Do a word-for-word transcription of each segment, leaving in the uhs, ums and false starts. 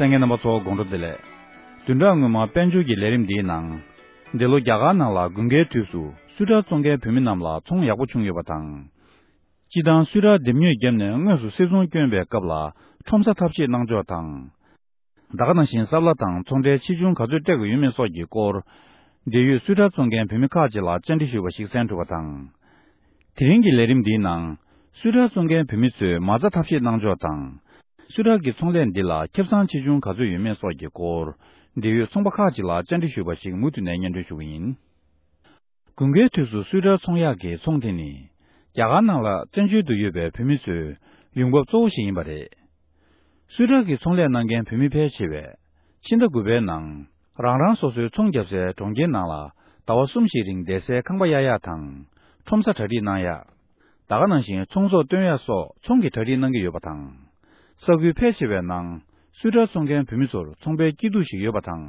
གསན་མཁན་རྣམ་པ་ཚོ་དགོང་དྲོ་བདེ་ལེགས། བདུན་ཕྲག་སྔོན་མ་དཔལ་འབྱོར་གྱི་ལས་རིམ་འདིའི་ནང་། འདི་ལོ་རྒྱ་གར་ནང་ལ་དགུན་ཁའི་དུས་སུ་སུད་ཊར་བཙོང་མཁན་བོད་མི་རྣམས་ལ་ཚོང་ཡག་པོ་བྱུང་ཡོད་པ་དང་། སྤྱི་བཏང་སུད་ཊར་འདེམས་ཉོས་བརྒྱབ་ནས་དངོས་སུ་སིལ་ཚོང་བསྐྱོན་པའི་སྐབས་ལ་ཁྲོམ་ས་ཐབས་ཤེས་གནང་ཕྱོགས་དང་། ད་ག་ནང་བཞིན་ས་བླ་དང་ཚོང་ཁྲལ་ཆེ་ཆུང་ག་ཚོད་སྤྲད་དགོས་ཡོད་མེད་སོགས་ཀྱི་སྐོར། འབྲེལ་ཡོད་སུད་ཊར་བཙོང་མཁན་བོད་མི་ཁག་ཅིག་ལ་བཅར་འདྲི་ཞུས་པ་ཞིག་གསན་ཐུབ་པ་དང་། དེ་རིང་གི་ལས་རིམ་འདིའི་ནང་། སུད་ཊར་བཙོང་མཁན་བོད་མི་ཚོས་མ་རྩ་ཐབས་ཤེས་གནང་ཕྱོགས་དང་། སུད་ཊར་གྱི་ཚོང་ལས་འདི་ལ་ཁེ་བཟང་ཆེ་ཆུང་ག་ཚོད་ཡོད་མེད་སོགས་ཀྱི་སྐོར། འབྲེལ་ཡོད་ཚོང་པ་ཁག་ཅིག་ལ་བཅར་འདྲི་ཞུས་པ་ཞིག་མུ་མཐུད་ནས་སྙན་སྒྲོན་ཞུ་གི་ཡིན། དགུན་ཁའི་དུས་སུ་སུད་ཊར་ཚོང་ཡག་གི་ཚོང་དེ་ནི། རྒྱ་གར་ནང་ལ་བཙན་བྱོལ་དུ་ཡོད་པའི་བོད་མི་ཚོའི་ཡོང་འབབ་གཙོ་བོ་ཞིག་ཡིན་པ་རེད། སུད་ཊར་གྱི་ཚོང་ལས་གནང་མཁན་བོད་མི་ཕལ་ཆེ་བས། ཕྱི་ཟླ་དགུ་པའི་ནང་། རང་རང་སོ་སོའི་ཚོང་བརྒྱབ་སའི་གྲོང་ཁྱེར་ནང་ལ་ཟླ་བ་གསུམ་ཞིག་རིང་བསྡད་སའི་ཁང་པ་གཡར་ཡག་དང་། ཁྲོམ་ས་གྲ་སྒྲིག་གནང་ཡག་ད་ག་ནང་བཞིན་ཚོང་ཟོག་བཏོན་ཡག་སོགས་ཚོང་གི་གྲ་སྒྲིག་གནང་གི་ཡོད་པ་དང་། ས་ཁུལ་ཕལ་ཆེ་བའི་ནང་སུད་ཊར་བཙོང་མཁན་བོད་མི་ཚོར་ཚོང་པའི་སྐྱིད་སྡུག་ཞིག་ཡོད་པ་དང་།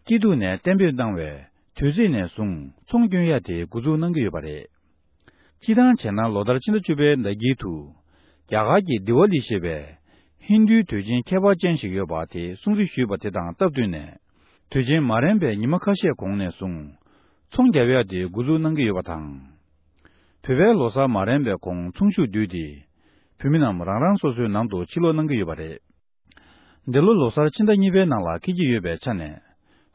སྐྱིད་སྡུག་ནས་གཏན་འབེབས་གནང་བའི་དུས་ཚིགས་ནས་བཟུང་ཚོང་སྐྱོན་ཡག་དེ་འགོ་འཛུགས་གནང་གི་ཡོད་པ་རེད། སྤྱིར་བཏང་བྱས་ན་ལོ་ལྟར་ཕྱི་ཟླ་བཅུ་པའི་ཟླ་དཀྱིལ་དུ། རྒྱ་གར་གྱི་དི་ཝ་ལི་ཞེས་པའི་ཧིན་རྡུའི་དུས་ཆེན་ཁྱད་པར་ཅན་ཞིག་ཡོད་པ་དེ་སྲུང་བརྩི་ཞུས་པ་དེ་དང་སྟབས་བསྟུན་ནས། དུས་ཆེན་མ་རན་པའི་ཉི་མ་ཁ་ཤས་གོང་ནས་བཟུང་། ཚོང་རྒྱག་ཡག་དེ་འགོ་འཛུགས་གནང་གི་ཡོད་པ་དང་། བོད་པའི་ལོ་གསར་མ་རན་པའི་གོང་ཚོང་ཤུགས་བསྡུས་ཏེ། བོད་མི་རྣམས་རང་རང་སོ་སོའི་ནང་དུ་ཕྱིར་ལོག་གནང་གི་ཡོད་པ་རེད། འདི་ལོ་ལོ་གསར་ཕྱི་ཟླ་གཉིས་པའི་ནང་ལ་འཁེལ་གྱི་ཡོད་པའི་ཆ་ནས།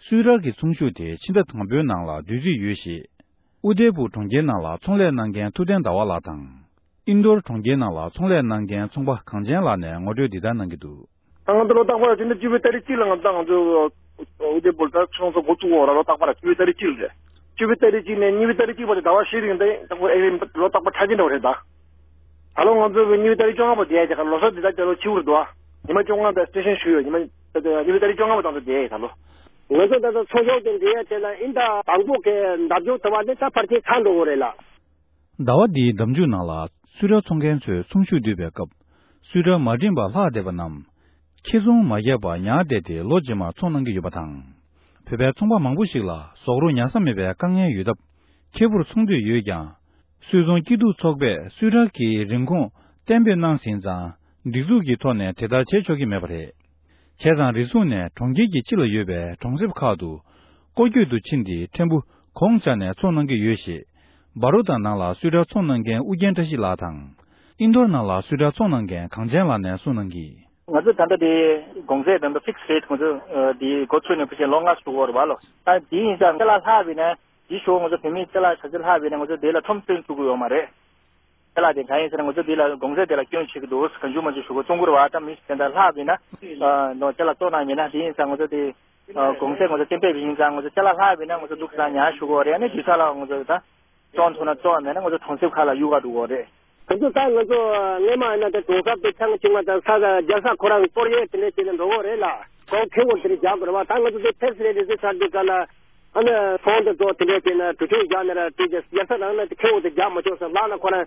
སུད་ཊར་གྱི་ཚོང་ཤུགས་དེ་ཕྱི་ཟླ་དང་པོའི་ནང་ལ་བསྡུ་རྩིས་ཡོད་ཞེས། ཨུ་དེ་པུར་གྲོང་ཁྱེར་ནང་ལ་ཚོང་ལས་གནང་མཁན་ཐུབ་བསྟན་ཟླ་བ་ལགས་དང་། ཨིན་རྡོར་གྲོང་ཁྱེར་ནང་ལ་ཚོང་ལས་གནང་མཁན་ཚོང་པ་གངས་ཅན་ལགས་ནས་ངོ་སྤྲོད་འདི་ལྟར་གནང་གི་འདུག་ད་ང་ཚོ་ལོ་རྟག་པར་ཕྱི་ཟླ་བཅུ་པའི་ཏ་རིག་གཅིག་ལ་ང་ཚོ་ང་ཚོ་ཨུ་དེ་པུར་ད་ཚོང་ཟོག་འགོ་བཙུགས་འོང་ར། ལོ་རྟག་པར་བཅུ་པའི་ཏ་རིག་གཅིག་རེད། བཅུ་པའི་ཏ་རིག་གཅིག་ནས་གཉིས་པའི་ཏ་རིག་གཅིག་བར་དུ་ཟླ་བ་བཞི་རིང་དེ་ལྟ་བུ་ཨེ་རིང་ལོ་རྟག་པར་འཁྲབ་ཀྱི་འདྲ་བ་རེད་ད། ད་ལོ་ང་ཚོ་གི་གཉིས་པའི་ཏ་རིག་བཅོ་ལྔ་བར་དུ་ཡ་རྒྱ་གར་ལོ་གསར་འདི་ད་རྒྱ་ལོ་ཕྱི་པོ་རེད་འདུག་ཨ། ཉི་མ་བཅོ་ལྔ་དང་སི་ཊེ་ཤན་ཞུས་ཡོད། ཉི་མ་གཉིས་པའི་ཏ་རིག་བཅོ་ལྔ་བར་དུ་དེ་ད་ལོ། ང་ཚོ་ད་ལྟ་ཚོང་ཟོག་དེ་འདྲ་ཡ་དེ་ལ་ཨིན་ད་དང་པོ་གི་འདབ་ཆགས་དུ་བ་ནི་ད་ཕར་ཁྱེར་ཚར་འགྲོ་གི་རེད་ལ། ཟླ་བ་འདིའི་ཟླ་མཇུག་ནང་ལ་སུད་ཊར་ཚོང་མཁན་ཚོས་ཚོང་ཤུགས་བསྡུས་པའི་སྐབས། སུད་ཊར་མ་འགྲིམས་པར་ལྷག་བསྡད་པ་རྣམས། ཁེ་བཟང་མ་བརྒྱབ་པར་ཉར་བསྡད་དེ་ལོ་རྗེས་མར་ཚོང་གནང་གི་ཡོད་པ་དང་། བོད་པའི་ཚོང་པ་མང་པོ་ཞིག་ལ་ཟོག་རོ་ཉར་ས་མེད་པའི་དཀའ་ངལ་ཡོད་སྟབས། ཁེ་པོར་ཚོང་འདོད་ཡོད་ཀྱང་། སུད་ཚོང་སྐྱིད་སྡུག་ཚོགས་པས་སུད་ཊར་གྱི་རིན་གོང་གཏན་འབེབས་གནང་ཟིན་ཙང་། སྒྲིག་འཛུགས་ཀྱི་ཐོག་ནས་དེ་ལྟར་བྱེད་ཆོག་གི་མེད་པ་རེད། བྱས་ཙང་རེ་ཟུང་ནས་གྲོང་ཁྱེར་གྱི་ཕྱི་ལ་ཡོད་པའི་གྲོང་གསེབ་ཁག་ཏུ་སྐོར་སྐྱོད་དུ་ཕྱིན་ཏེ་ཕྲན་བུ་གོང་བཅག་ནས་ཚོང་གནང་གི་ཡོད་ཞེས། བཱ་རོ་ཏ་ནང་ལ་སུད་ཊར་ཚོང་གནང་མཁན་ཨུ་རྒྱན་བཀྲ་ཤིས་ལགས་དང་། ཨིན་རྡོར་ནང་ལ་སུད་ཊར་ཚོང་གནང་མཁན་གངས་ཅན་ལགས་ནས་གསུངས་གནང་གིས། ང་ཚོ་ད་ལྟ་དེ་གོང་ཚད་ད་ལྟ་ཕིག་སི་རེ་ཊི་ང་ཚོ་དེ་འགོ་ཚུགས་ནས་ཕལ་ཆེར་ལོ་ལྔ་ཞུ་གི་ཡོད་རེད་བ་ལོ། ད་དེ་ཡིན་ཙང་ཁྱེད་ལ་ལྷག་པས་ན་དེ་ཞོག་ང་ཚོ་བོད་མི་ཁྱེད་ལ་ཆ་ཚད་ལྷག་པས་ན་ང་ཚོ་དེ་ལ་ཁྲོམ་སྟོན་ཐུབ་ཀྱི་ཡོད་མ་རེད། ཁྱེད་ལ་དེ་གང་ཡིན་ཟེར་ན་ང་ཚོ་འདི་ལ་གོང་ཚད་དེ་ལ་སྐྱོན་བྱེད་ཀྱི་འདུག་གང་བྱུང་མང་བྱུང་ཞུ་གོ་བཙོང་གི་རེད་བ། ད་མི་དེ་འདྲ་ལྷག་བྱས་ན་ནོ་ཁྱེད་ལ་བཙོང་གནང་མེད་ན་དེ་ཡིན་ཙང་ང་ཚོ་དེ་གོང་ཚད་ང་ཚོ་གཏན་འབེབས་ཡིན་ཙང་ང་ཚོ་ཁྱེད་ལ་ལྷག་བྱས་ན་ང་ཚོ་འདུག་ས་ཉར་ཞུ་གོ་རེད། ཨ་ནི་དུས་ཚོད་ལ་ང་ཚོ་ད་བཙོང་ཐུབ་ན་བཙོང་མེད་ན་ང་ཚོ་གྲོང་གསེབ་ཁག་ལ་གཡུག་ག་འགྲོ་གོ་རེད། ང་ཚོ་ད་ང་ཚོ་སྔོན་མ་ཡིན་ན་དེ་གྲོང་གསེབ་དེ་ཆང་བྱུང་བ་དང་ས་ས་རྒྱལ་ས་ཁོ་རང་གཏོར་ཡས་དེ་འདྲ་བྱས་ནས་འགྲོ་གོ་རེད་ལ། གོང་ཁེ་བོ་དེ་འདྲ་རྒྱག་དགོས་རེད་བ། ད་ང་ཚོ་དེ་ཕེབས་སི་རེད་དེ་ཚོ་ཆགས་དུས་ག་ལ། ཨ་ནི་ཚོང་དེ་ཚོ་དེ་འདྲས་བྱས་ན་གྲུ་ཆུང་རྒྱག་ན་ར་དེ་རྒྱལ་ས་རང་ན་དེ་ཁེ་འོ་དེ་རྒྱག་མ་ཆོག་ས་ལག་ན་ཁོ་རང་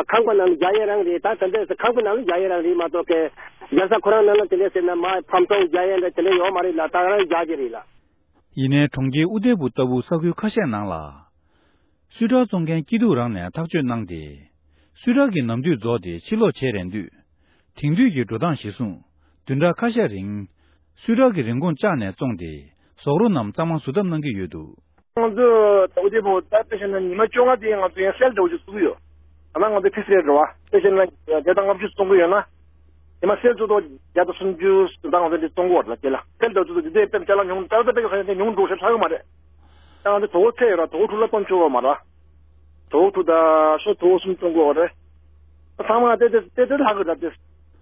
ཁང་པ་ནང་ལ་རྒྱག་ཡས་རང་རེད། ད་དེ་འདྲས་ཁང་པ་ནང་ལ་རྒྱག་ཡས་རང་རེད་མ་གཏོགས་ཀི་རྒྱལ་ས་ཁོ་རང་ནང་ལ་དེ་འདྲས་ཟེར་ན་མ་ཕམ་ཚོང་རྒྱག་ཡས་འདྲ་དེ་འདྲས་ཡོད་མ་རེད་ལ། ད་རང་རྒྱག་གི་རེད་ལ། ཡིན་ནའི་གྲོང་ཁྱེར་ཨུ་དེ་པུ་ལྟ་བུ་ས་ཁུལ་ཁ་ཤས་ནང་ལ། སུད་ཊར་བཙོང་མཁན་སྐྱིད་སྡུག་རང་ནས་ཐག་གཅོད་གནང་སྟེ། སུད་ཊར་གྱི་ནམ་དུས་རྫོགས་ཏེ་ཕྱིར་ལོག་བྱེད་རན་དུས། དེང་དུས་ཀྱི་འགྲོ་སྟངས་གཞིར་བཟུང་བདུན་ཕྲག་ཁ་ཤས་རིང་། སུད་ཊར་གྱི་རིན་གོང་བཅག་ནས་བཙོངས་ཏེ། ཟོག་རོ་རྣམས་གཙང་མ་བཟོ་ཐབས་གནང་གི་ཡོད་འདུག་ང་ཚོ་ཨུ་དེ་པུ་ད་དཔེ་བཞག་ན་ཉི་མ་བཅོ་ལྔ་དེ་ང་ཚོ་ཡང་སེལ་འདྲ་བོ་ཅིག་བཙུགས་ཡོད། ད་ང་ཚོ་ཕིག་སི་རེ་ཊི་རེད་བ། དཔེ་བཞག་ན་བརྒྱ་དང་ལྔ་བཅུ་བཙོང་གི་ཡོད་ན། ཉི་མ་སེལ་བཙུགས་ཐོག་བརྒྱ་དང་སུམ་ཅུ་ད་ང་ཚོ་འདི་བཙོང་གི་ཡོད་རེད་ལ། དེ་ལ་བཙུགས་ཐོག་འདི་དེ་དཔེ་ཅ་ལག་ཉུང་ད་ལྟ་དཔེ་ཁ་ཤས་དེ་ཉུང་འགྲོ་ཞེས་ཧ་གོ་མ་རེད། ད་ང་ཚོ་དོ་པོ་ཚད་ཡོད་ར། དོ་པོ་དྲུག་ལ་གཏོང་ཆོག་གི་མ་རེད། དོ་པོ་དྲུག་དང་སོ་དོ་པོ་གསུམ་བཙོང་གི་ཡོད་རེད། ཚང་མ་དེ་དེ་དེ་དེ་ལྷག་གི་རེད་དེ།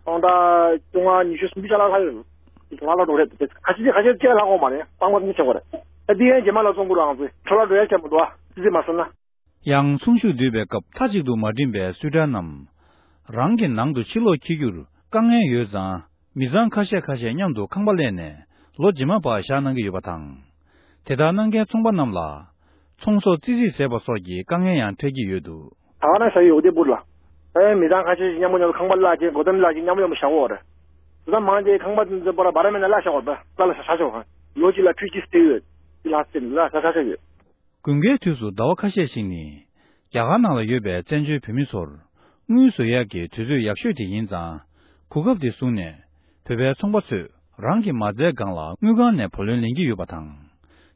སྟོང་ཕྲག་བཅོ་ལྔ་ཉི་ཤུ་སུམ་ཅུ་ཅ་ལག་ལྷག་ཡོད། ལྷག་ལྷག་འགྲོ་རེད་དེ། ཁ་ཤས་ཁ་ཤས་ཅ་ལག་ལྷག་གོ་མ་རེད། སྤང་པ་མི་ཆོག་གི་རེད། ད་འདི་ཡན་རྗེས་མ་ལ་བཙོང་དགོས་ར། ང་ཚོས་འཕྲོ་བརླག་འགྲོ་ཡ་ཁྱད་མི་འདུག་ཨ། ཙི་ཙི་མ་བསམ་ན། ཡང་ཚོང་ཤུགས་བསྡུས་པའི་སྐབས་མཐའ་གཅིག་ཏུ་མ་འགྲིམས་པའི་སུད་ཊར་རྣམས། རང་གི་ནང་དུ་ཕྱིར་ལོག་འཁྱེར་རྒྱུར་དཀའ་ངལ་ཡོད་ཙང་། མི་ཚང་ཁ་ཤས་ཁ་ཤས་མཉམ་དུ་ཁང་པ་གླས་ནས་ལོ་རྗེས་མ་བར་བཞག་གནང་གི་ཡོད་པ་དང་། དེ་ལྟར་གནང་མཁན་ཚོང་པ་རྣམས་ལ། ཚོང་ཟོག་ཙི་ཙི་ཟས་པ་སོགས་ཀྱི་དཀའ་ངལ་ཡང་འཕྲད་ཀྱི་ཡོད་འདུག་ད་ག་ན་ཤ་ཡོད་དེ་འབུར་ལ། ཨེ་མི་ཚང་ཁ་ཤས་ཤིག་མཉམ་པོ་མཉམ་པོ་ཁང་པ་གླས་ཀྱི་སྒོ་ཐེམ་གླས་ཀྱི་མཉམ་པོ་མཉམ་པོ་བཞག་གོ་རེད། དེ་ཚང་མང་ཆེ་ཁང་པ་འཛིན་པར་བར་མེད་ན་གླས་བཞག་གོ་རེད། གླས་ལ་ཤ་ཤ་ཤོག་ལོ་གཅིག་ལ་ཁྲུ་གཅིག་སྟེར་ཡོད། དེ་ལ་ཤ་ཤ་ཤ་ཤ་ཡོད། དགུན་ཁའི་དུས་སུ་ཟླ་བ་ཁ་ཤས་ཤིག་ནི། རྒྱ་གར་ནང་ལ་ཡོད་པའི་བཙན་བྱོལ་བོད་མི་ཚོར། དངུལ་བཟོ་ཡག་གི་དུས་ཚོད་ཡག་ཤོས་དེ་ཡིན་ཙང་། གོ་སྐབས་དེ་བཟུང་ནས། བོད་པའི་ཚོང་པ་ཚོས། རང་གི་མ་རྩའི་སྒང་ལ་དངུལ་ཁང་ནས་བུ་ལོན་ལེན་གྱི་ཡོད་པ་དང་།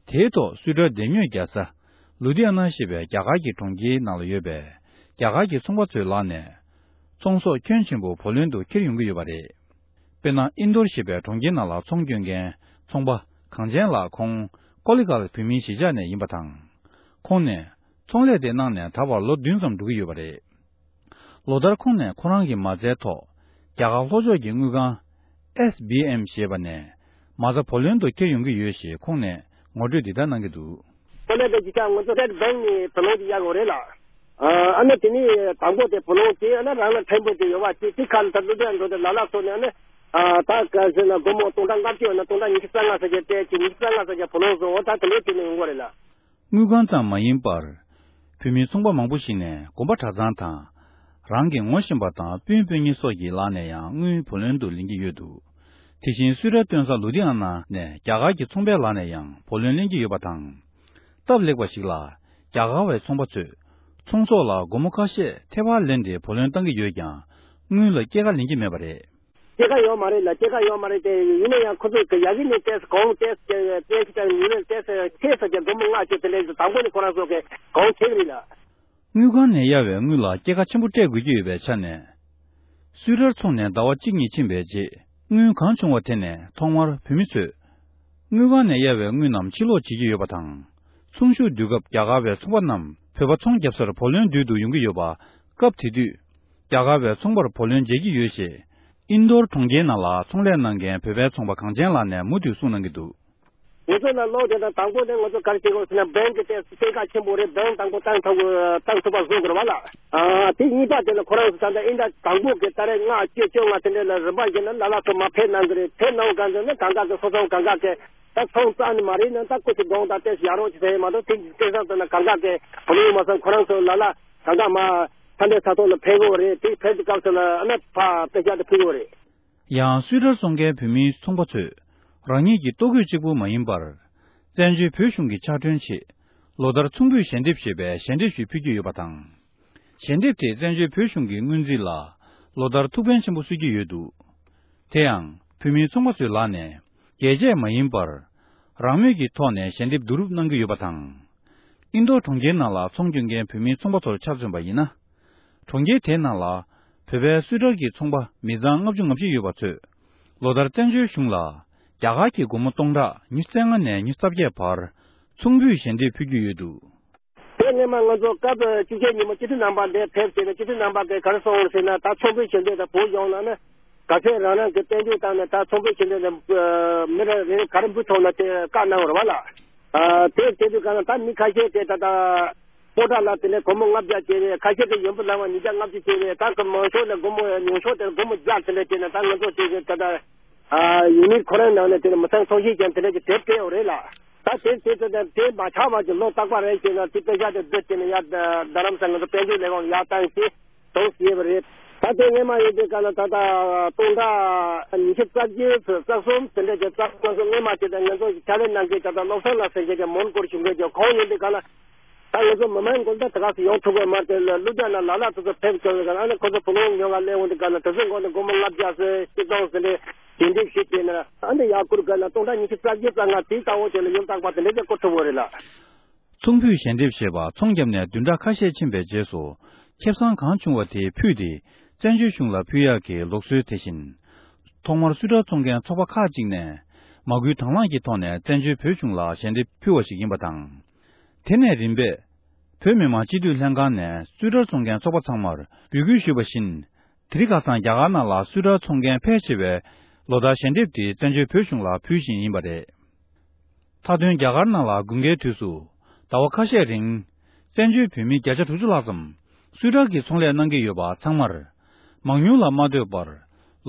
དེའི་ཐོག་སུད་ཊར་སྡེ་ཉོས་རྒྱལ་ས་ལུ་དྷི་ཨ་ན་ཞེས་པའི་རྒྱ་གར་གྱི་གྲོང་ཁྱེར་ནང་ལ་ཡོད་པའི་རྒྱ་གར་གྱི་ཚོང་པ་ཚོའི་ལག་ནས་ཚོང་ཟོག་ཁྱོན་ཆེན་པོ་བུ་ལོན་དུ་འཁྱེར་ཡོང་གི་ཡོད་པ་རེད། དཔེར་ན། ཨིན་དོར་ཞེས་པའི་གྲོང་ཁྱེར་ནང་ལ་ཚོང་སྐྱོན་མཁན་ཚོང་པ་གངས་ཅན་ལགས། ཁོང་ཀོ་ལི་གྷལ་བོད་མིའི་གཞིས་ཆགས་ནས་ཡིན་པ་དང་། ཁོང་ནས་ཚོང་ལས་དེ་གནང་ནས་ད་བར་ལོ་བདུན་ཙམ་འགྲོ་གི་ཡོད་པ་རེད། ལོ་ལྟར་ཁོང་ནས་ཁོ་རང་གི་མ་རྩའི་ཐོག་རྒྱ་གར་ལྷོ་ཕྱོགས་ཀྱི་དངུལ་ཁང་། ཨེས་བི་ཨེམ་ཞེས་པ་ནས་མ་རྩ་བུ་ལོན་དུ་འཁྱེར་ཡོང་གི་ཡོད་ཞེས་ཁོང་ནས་ངོ་སྤྲོད་འདི་ལྟར་གནང་གི་འདུག། ཁོ་ལས་དེ་ཅི་ཆ་ང་ཚོ་སྟེཊ་བེང་ནས་བུ་ལོན་དེ་གཡར་དགོས་རེད་ལ། ཨ་ནི་དེ་ནས་དང་པོ་དེ་བུ་ལོན་དེ་ཨ་ནི་རང་ལ་ཕྲན་བུ་དེ་ཡོད་པ་དེ་དེ་ཁ་ལ་ད་ལུ་དེ་འགྲོ་དེ་ལ་ལ་སོ་ནས་ཨ་ནི་ད་ག་ཟེར་ན་སྒོར་མོ་སྟོང་ཕྲག་ལྔ་བཅུ་ཡོད་ན་སྟོང་ཕྲག་ཉི་ཤུ་རྩ་ལྔ་ཟེར་གྱི་སྟེ་ཅི་ཉི་ཤུ་རྩ་ལྔ་ཟེར་གྱི་བུ་ལོན་བཟོ་འོ་ད་དེ་ལས་དེ་ནས་ཡོང་གི་རེད་ལ། དངུལ་ཁང་ཙམ་མ་ཡིན་པར། བོད་མིའི་ཚོང་པ་མང་པོ་ཞིག་ནས་དགོན་པ་གྲྭ་ཚང་དང་། རང་གི་ངོ་ཤེས་པ་དང་སྤུན་སྤུན་ཉེ་སོགས་ཀྱི་ལག་ནས་ཡང་དངུལ་བུ་ལོན་དུ་ལེན་གྱི་ཡོད་འདུག། དེ་བཞིན་སུད་ཊར་སྟོན་ས་ལུ་དྷི་ཨ་ན་ནས་རྒྱ་གར་གྱི་ཚོང་པའི་ལག་ནས་ཡང་བུ་ལོན་ལེན་གྱི་ཡོད་པ་དང་། སྟབས་ལེགས་པ་ཞིག་ལ། རྒྱ་གར་བའི་ཚོང་པ་ཚོས་ཚོང་ཟོག་ལ་སྒོར་མོ་ཁ་ཤས་ཐེ་བ་ལེན་ཏེ་བུ་ལོན་བཏང་གི་ཡོད་ཀྱང་། དངུལ་ལ་སྐྱེད་ཀ་ལེན་གྱི་མེད་པ་རེད། སྐྱེད་ཀ་ཡོད་མ་རེད་ལ། སྐྱེད་ཀ་ཡོད་མ་རེད་དེ། ཡིན་ན་ཡང་ཁོ་ཚོས་ཀྱི་ཡ་གི་ནས་ཏེས་གོང་ཏེས་ཀྱི་ཏེས་ཀྱི་ཉིན་ལས་ཏེས་ཁེ་ས་ཀྱི་སྒོར་མོ་ལྔ་བཅུ་དེ་ལས་དང་པོ་ནས་ཁོ་རང་ཚོ་གི་གོང་ཁེ་གི་རེད་ལ། དངུལ་ཁང་ནས་གཡར་བའི་དངུལ་ལ་སྐྱེད་ཀ་ཆེན་པོ་སྤྲད་དགོས་ཀྱི་ཡོད་པའི་ཆ་ནས། སུད་ཊར་ཚོང་ནས་ཟླ་བ་གཅིག་གཉིས་ཕྱིན་པའི་རྗེས་དངུལ་གང་བྱུང་བ་དེ་ནས་ཐོག་མར་བོད་མི་ཚོས་དངུལ་ཁང་ནས་གཡར་བའི་དངུལ་རྣམས་ཕྱིར་སློག་བྱེད་ཀྱི་ཡོད་པ་དང་། ཚོང་ཤུགས་བསྡུས་སྐབས་རྒྱ་གར་བའི་ཚོང་པ་རྣམས་བོད་པ་ཚོང་བརྒྱབ་སར་བུ་ལོན་བསྡུས་དུ་ཡོང་གི་ཡོད་པ། སྐབས་དེ་དུས། རྒྱ་གར་བའི་ཚོང་པར་བུ་ལོན་འཇལ་གྱི་ཡོད་ཞེས། ཨིན་དོར་གྲོང་ཁྱེར་ནང་ལ་ཚོང་ལས་གནང་མཁན་བོད་པའི་ཚོང་པ་གངས་ཅན་ལགས་ནས་མུ་མཐུད་གསུངས་གནང་གི་འདུག། ང་ཚོ་ལ་གློག་དེ་དང་དང་པོ་ནས་ང་ཚོ་ག་རེ་བྱེད་དགོས་ཟེར་ན་བེང་གི་ཏེ་སྟེང་ཁ་ཆེན་པོ་རེད། བེང་དང་པོ་བཏང་ཐུབ་བཏང་ཐུབ་པ་བཟོ་དགོས་རེད་བ་ལ། ཨ་དེ་གཉིས་པ་དེ་ལ་ཁོ་རང་ཚོ་ད་ལྟ་ཨིན་ད་དང་པོ་གི་ད་རེས་ལྔ་བཅུ་བཅོ་ལྔ་དེ་འདྲ་ལ་རིམ་པ་བཞིན་ལ་ལ་ལ་ཚོ་མ་ཕེབས་གནང་གི་རེད། ཕེབས་གནང་ག་འདི་ནི་གང་ག་གི་སོ་སོ་གང་ག་གི་ད་ཚོང་རྩ་ནི་མ་རེད་ན་ད་ཁོ་ཚོ་དགོངས་དག་ཏེ་ཡ་རོགས་ཀྱི་ཟེར་མ་གཏོགས་དེ་སྐལ་བཟང་དུ་ན་གང་ག་གི་བུ་ལོན་མ་སོང་ཁོ་རང་ཚོ་ལ་ལ་གང་ག་མ་ཕ་འདྲེ་ས་ཐོག་ལ་ཕེབས་དགོས་རེད། དེ་ཕེབས་དུས་སྐབས་སུ་ལ་ཨ་ན་ཕ་དཔེ་ཆ་དེ་ཕུལ་དགོས་རེད། ཡང་སུད་ཊར་བཙོང་མཁན་བོད་མིའི་ཚོང་པ་ཚོས་རང་ཉིད་ཀྱི་ལྟོ་གོས་གཅིག་པུ་མ་ཡིན་པར། བཙན་བྱོལ་བོད་གཞུང་གི་ཕྱག་གྲོན་ཆེད་ལོ་ལྟར་ཚོང་འབུལ་ཞལ་འདེབས་ཞེས་པའི་ཞལ་འདེབས་ཤིག་ཕུལ་གྱི་ཡོད་པ་དང་། ཞལ་འདེབས་དེ་བཙན་བྱོལ་བོད་གཞུང་གི་སྔོན་རྩིས་ལ་ལོ་ལྟར་ཐུགས་ཕན་ཆེན་པོ་གསོས་ཀྱི་ཡོད་འདུག། དེ་ཡང་བོད་མིའི་ཚོང་པ་ཚོའི་ལག་ནས་རྒྱས་བཅད་མ་ཡིན་པར། རང་མོས་ཀྱི་ཐོག་ནས་ཞལ་འདེབས་བསྡུ་རུབ་གནང་གི་ཡོད་པ་དང་། ཨིན་དོ་གྲོང་ཁྱེར་ནང་ལ་ཚོང་སྐྱོན་མཁན་བོད་མིའི་ཚོང་པ་ཚོར་ཆ་མཚོན་པ་ཡིན་ན། གྲོང་ཁྱེར་དེའི་ནང་ལ་བོད་པའི་སུད་ཊར་གྱི་ཚོང་པ་མི་ཚང་ལྔ་བཅུ་ང་བཞི་ཡོད་པ་ཚོས་ལོ་ལྟར་བཙན་བྱོལ་གཞུང་ལ་རྒྱ་གར་གྱི་སྒོར་མོ་སྟོང་ཕྲག་ཉི་ཤུ་རྩ་ལྔ་ནས་ཉི་ཤུ་རྩ་བརྒྱད་བར་ཚོང་འབུལ་ཞལ་འདེབས་ཕུལ་གྱི་ཡོད་འདུག། དེ་སྔོན་མ་ང་ཚོ་སྐབས་བཅུ་བཞི་ཉིན་མོ་སྤྱི་འཐུས་རྣམ་པ་འདིར་ཕེབས་བྱས་ནས་སྤྱི་འཐུས་རྣམ་པ་གིས་ག་རེ་གསུངས་ཟེར་ན། ད་ཚོང་འབུལ་ཞལ་འདེབས་དང་བོད་ལྗོངས་ནང་ནས་ག་ཚོད་རང་རང་གི་དཔལ་འབྱོར་སྟེང་ནས་ད་ཚོང་འབུལ་ཞལ་འདེབས་དང་མི་རེ་རེ་ག་རེ་འབུལ་ཐུབ་ན་དེ་བཀའ་གནང་བ་རེད་བ་ལ། དེ་བྱེད་དུས་ག་ན་ད་མི་ཁ་ཤས་དེ་ད་ལྟ། སྤོ་བྲ་ལ་དེ་ནས་སྒོར་མོ་ལྔ་བརྒྱ་བྱས་པས། ཁ་ཤས་ཀྱིས་ཡོན་པོ་ལ་བ་ཉིས་བརྒྱ་ལྔ་བཅུ་བྱས་པས། ད་གི་མང་ཤོས་ལ་སྒོར་མོ་ཉུང་ཤོས་དེར་སྒོར་མོ་བརྒྱ་དེ་འདྲ་བྱས་ནས་ད་ང་ཚོ་དེ་གི་ད་ལྟ་ཨ་ཡུན་ནི་ཁོ་རང་ནང་ནས་དེ་ནས་མི་ཚང་ཚོགས་ཤིག་ཀྱང་དེ་འདྲ་གི་དེབ་སྤྲད་ཡོད་རེད་ལ། ད་དེབ་དེ་ཚོ་དེ་དེ་མ་ཆག་པ་གི་ལོ་རྟག་པ་རེ་བྱས་ན་དེ་དཔེ་ཆ་དེ་བསྡུས་བྱས་ནས་ཡར་རྡ་རམ་ས་ང་ཚོ་དཔལ་འབྱོར་ལས་ཁུངས་ལ་ཡར་བཏང་སྟེ་དོགས་ཟེར་བ་རེད། ད་དེ་སྔོན་མ་ཡིན་དུས་ག་ལ་ད་ལྟ་སྟོང་ཕྲག་ཉི་ཤུ་རྩ་བརྒྱད་ཚོ་རྩ་གསུམ་དེ་འདྲ་གི་རྩ་གསུམ་ང་ཚོ་སྔོན་མ་བྱས་ཏེ་ང་ཚོ་ཕྱག་ལས་གནང་མཁན་ད་ལྟ་བློ་བཟང་ལགས་ཟེར་མཁན་གྱི་མོན་གྷོར་བཞུགས་མཁན་གྱི་ཁོང་ཡིན་དུས་ག་ལ། ད་ང་ཚོ་མི་མང་འགོ་ད་དེ་ག་སེ་ཡོང་ཐུབ་ཀྱི་མ་རེད་དེ་ལ་ལུ་དྲ་ན་ལ་ལ་དེ་ཚོ་ཕེབས་དགོས་ཀྱི་ཨ་ནི་ཁོ་ཚོ་བུ་ལོན་ཉོ་ག་སླེབས་འོང་དུས་ག་ལ་དེ་ཚོའི་མགོ་ནས་སྒོར་མོ་ལྔ་བརྒྱ་ཟེར་ཆིག་སྟོང་ཟེར་ནས་ཞལ་འདེབས་ཞིག་བྱས་ན་ཨ་ནི་ཡར་བསྐུར་ག་ལ་སྟོང་ཕྲག་ཉི་ཤུ་རྩ་བརྒྱད་རྩ་ལྔ་དེའི་ལྟ་བ་དེ་ལ་ཡང་རྟག་པར་དེ་འདྲ་ཅིག་བསྐུར་ཐུབ་ཀྱི་རེད་ལ། ཚོང་འབུལ་ཞལ་འདེབས་ཞེས་པ་ཚོང་བརྒྱབ་ནས་བདུན་ཕྲག་ཁ་ཤས་ཕྱིན་པའི་རྗེས་སུ་ཁེ་བཟང་གང་བྱུང་བ་དེ་ཕུད་དེ་བཙན་བྱོལ་གཞུང་ལ་ཕུལ་ཡག་གི་ལུགས་སྲོལ་དེ་བཞིན། ཐོག་མར་སུད་ཊར་བཙོང་མཁན་ཚོགས་པ་ཁག་ཅིག་ནས་མ་སྐུལ་དང་བླངས་ཀྱི་ཐོག་ནས་བཙན་བྱོལ་བོད་གཞུང་ལ་ཞལ་འདེབས་ཕུལ་བ་ཞིག་ཡིན་པ་དང་། དེ་ནས་རིམ་པས། བོད་མི་མང་སྤྱི་འཐུས་ལྷན་ཁང་ནས་སུད་ཊར་བཙོང་མཁན་ཚོགས་པ་ཚང་མར་འབོད་སྐུལ་ཞུས་པ་བཞིན། དེ་རིང་ཁ་སང་རྒྱ་གར་ནང་ལ་སུད་ཊར་བཙོང་མཁན་ཕལ་ཆེ་བས་ལོ་ལྟར་ཞལ་འདེབས་དེ་བཙན་བྱོལ་བོད་གཞུང་ལ་ཕུལ་བཞིན་ཡིན་པ་རེད། མཐའ་དོན་རྒྱ་གར་ནང་ལ་དགུན་ཁའི་དུས་སུ་ཟླ་བ་ཁ་ཤས་རིང་། བཙན་བྱོལ་བོད་མི་བརྒྱ་ཆ་དྲུག་ཅུ་ལྷག་ཙམ་སུད་ཊར་གྱི་ཚོང་ལས་གནང་གི་ཡོད་པ་ཚང་མར། མང་ཉུང་ལ་མ་ལྟོས་པར།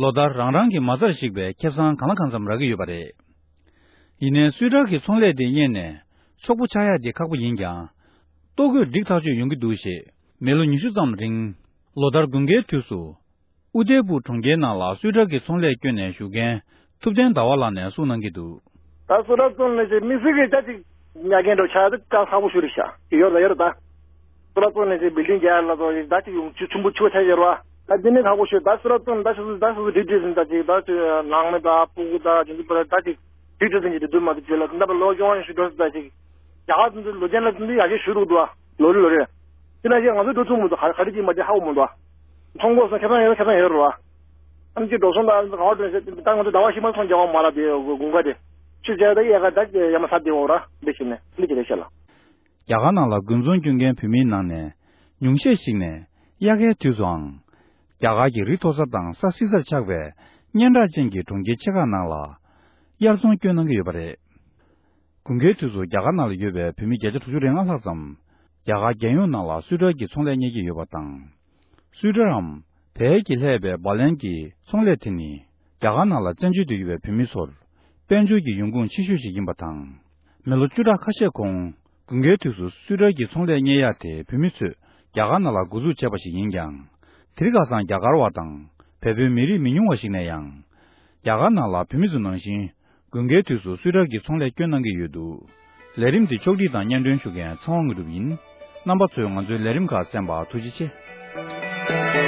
ལོ་ལྟར་རང་རང་གི་མ་རྩར་གཞིགས་པའི་ཁེ་བཟང་གང་ལ་གང་འཚམ་རག་གི་ཡོད་པ་རེད། ཡིན་ནའི་སུད་ཊར་གྱི་ཚོང་ལས་དེ་གཉེར་ནས་ཕྱུག་པོ་ཆགས་ཡག་དེ་ཁག་པོ་ཡིན་ཀྱང་། ལྟོ་གོས་འགྲིག་ཐག་ཆོད་ཡོང་གི་འདུག་ཞེས་མི་ལོ་ཉི་ཤུ་ཙམ་རིང་ལོ་ལྟར་དགུན་ཁའི་དུས་སུ། ཨུ་དེ་པུར་གྲོང་ཁྱེར་ནང་ལ་སུད་ཊར་གྱི་ཚོང་ལས་བསྐྱོན་ནས་བཞུགས་མཁན་ཐུབ་བསྟན་ཟླ་བ་ལགས་ནས་གསུངས་གནང་གི་འདུག། ད་སུད་ཊར་བཙོང་ལས་ཀྱི་དམིགས་བསལ་གྱི་ཅ་ཅིག་ཉར་མཁན་འགྲོ་ཆགས་ཏེ་ཅ་ཁག་པོ་ཞུ་རེད་ཤག་ཡོད་ད་ཡོད་རེད་ད། སུད་ཊར་བཙོང་ལས་ཀྱི་བིལ་ཌིང་རྒྱག་ལ་ཚོ་ད་ཅིག་ཡོང་ཆུ་ཆུན་པོ་ཆུ་བ་ཆ་ཡོད་རེད་བ། ད་འདི་ནི་ཁག་པོ་ཤོད། ད་སུ་ར་ཙོན་ད་ཤུ་ཟུ་ད་ཤུ་ཟུ་དྲི་དྲི་ཟིན་ད་ཅིག་ད་ཅིག་ནང་མི་ད་ཕྲུ་གུ་ད་ཅིག་འདི་པར་ད་ཅིག་དྲི་དྲི་ཟིན་གྱི་དེ་དུ་མ་དེ་བྱེད་ལ་ད་པར་ལོ་གཞོན་ཡང་ཞུ་འགྲོ་སི་ད་ཅིག་རྒྱ་གར་ཚོ་འདི་ལོ་རྒྱུན་ལ་འདི་ཡ་གི་ཞུ་རུ་འདུག་ལོ་རེ་ལོ་རེ། དེ་ན་ཞིག་ང་ཚོ་འགྲོ་ཐུབ་མི་འདུག་ག་རེ་གི་མ་དེ་ཧ་གོ་མི་འདུག་མཐོང་གོ་སོང་ཁྱེད་ཚང་ཡོད་ཁྱེད་ཚང་ཡོད་རུ་བ། ཨ་ནི་ཅིག་འགྲོ་སོང་ད་ཨ་ནི་ག་བ་འགྲོ་ཟེར་ད་ང་ཚོ་ཟླ་བ་ཕྱི་མ་སོང་རྒྱ་གར་མ་ལ་དེ་དགུན་ཁ་དེ་ཆུ་བྱས་ད་ཡ་ག་ད་ཡ་མ་ས་དེ་འོ་ར་འདི་ཞིག་ནས་འདི་ཅི་རེད་ཤེས་ལ། རྒྱ་གར་ནང་ལ་དགུན་ཚོང་སྐྱོན་མཁན་བོད་མིའི་ནང་ནས་ཉུང་ཤས་ཤིག་ནས་དབྱར་ཁའི་དུས་སུའང་རྒྱ་གར་གྱི་རི་མཐོ་ས་དང་ས་བསིལ་སར་ཆགས་པའི་སྙན་གྲགས་ཅན་གྱི་གྲོང་ཁྱེར་ཆེ་ཁག་ནང་ལ་དབྱར་ཚོང་སྐྱོན་གནང་གི་ཡོད་པ་རེད། དགུན་ཁའི་དུས་སུ་རྒྱ་གར་ནང་ལ་ཡོད་པའི་བོད་མི་བརྒྱ་ཆ་དྲུག་ཅུ་རེ་ལྔ་ལྷག་ཙམ་རྒྱ་གར་རྒྱལ་ཡོངས་ནང་ལ་སུའི་ཊར་གྱི་ཚོང་ལས་གཉེར་གྱི་ཡོད་པ་དང་། སུའི་ཊར་འམ་བལ་གྱིས་ལྷས་པའི་བ་ལན་གྱི་ཚོང་ལས་དེ་ནི་རྒྱ་གར་ནང་ལ་བཙན་བྱོལ་དུ་ཡོད་པའི་བོད་མི་ཚོར་དཔལ་འབྱོར་གྱི་ཡོང་ཁུངས་ཆེ་ཤོས་ཤིག་ཡིན་པ་དང་། མི་ལོ་བཅུ་ཕྲག་ཁ་ཤས་གོང་དགུན་ཁའི་དུས་སུ་སུའི་ཊར་གྱི་ཚོང་ལས་གཉེར་ཡག་དེ་བོད་མི་ཚོས་རྒྱ་གར་ནང་ལ་འགོ་འཛུགས་བྱས་པ་ཞིག་ཡིན་ཀྱང་། དེ་རིང་ཁ་སང་རྒྱ་གར་བ་དང་བལ་པོའི་མི་རིགས་མི་ཉུང་བ་ཞིག་ནས་ཡང་རྒྱ་གར་ནང་ལ་བོད་མི་ཚོ་ནང་བཞིན་དགུན་ཁའི་དུས་སུ་སུའི་ཊར་གྱི་ཚོང་ལས་སྐྱོན་གནང་གི་ཡོད་འདུག་ལས་རིམ་འདི་ཕྱོགས་སྒྲིག་དང་སྙན་སྒྲོན་ཞུ་མཁན་ཚེ་དབང་དངོས་གྲུབ་ཡིན། རྣམ་པ་ཚོས་ང་ཚོའི་ལས་རིམ་ཁག་གསན་པར་ཐུགས་རྗེ་ཆེ།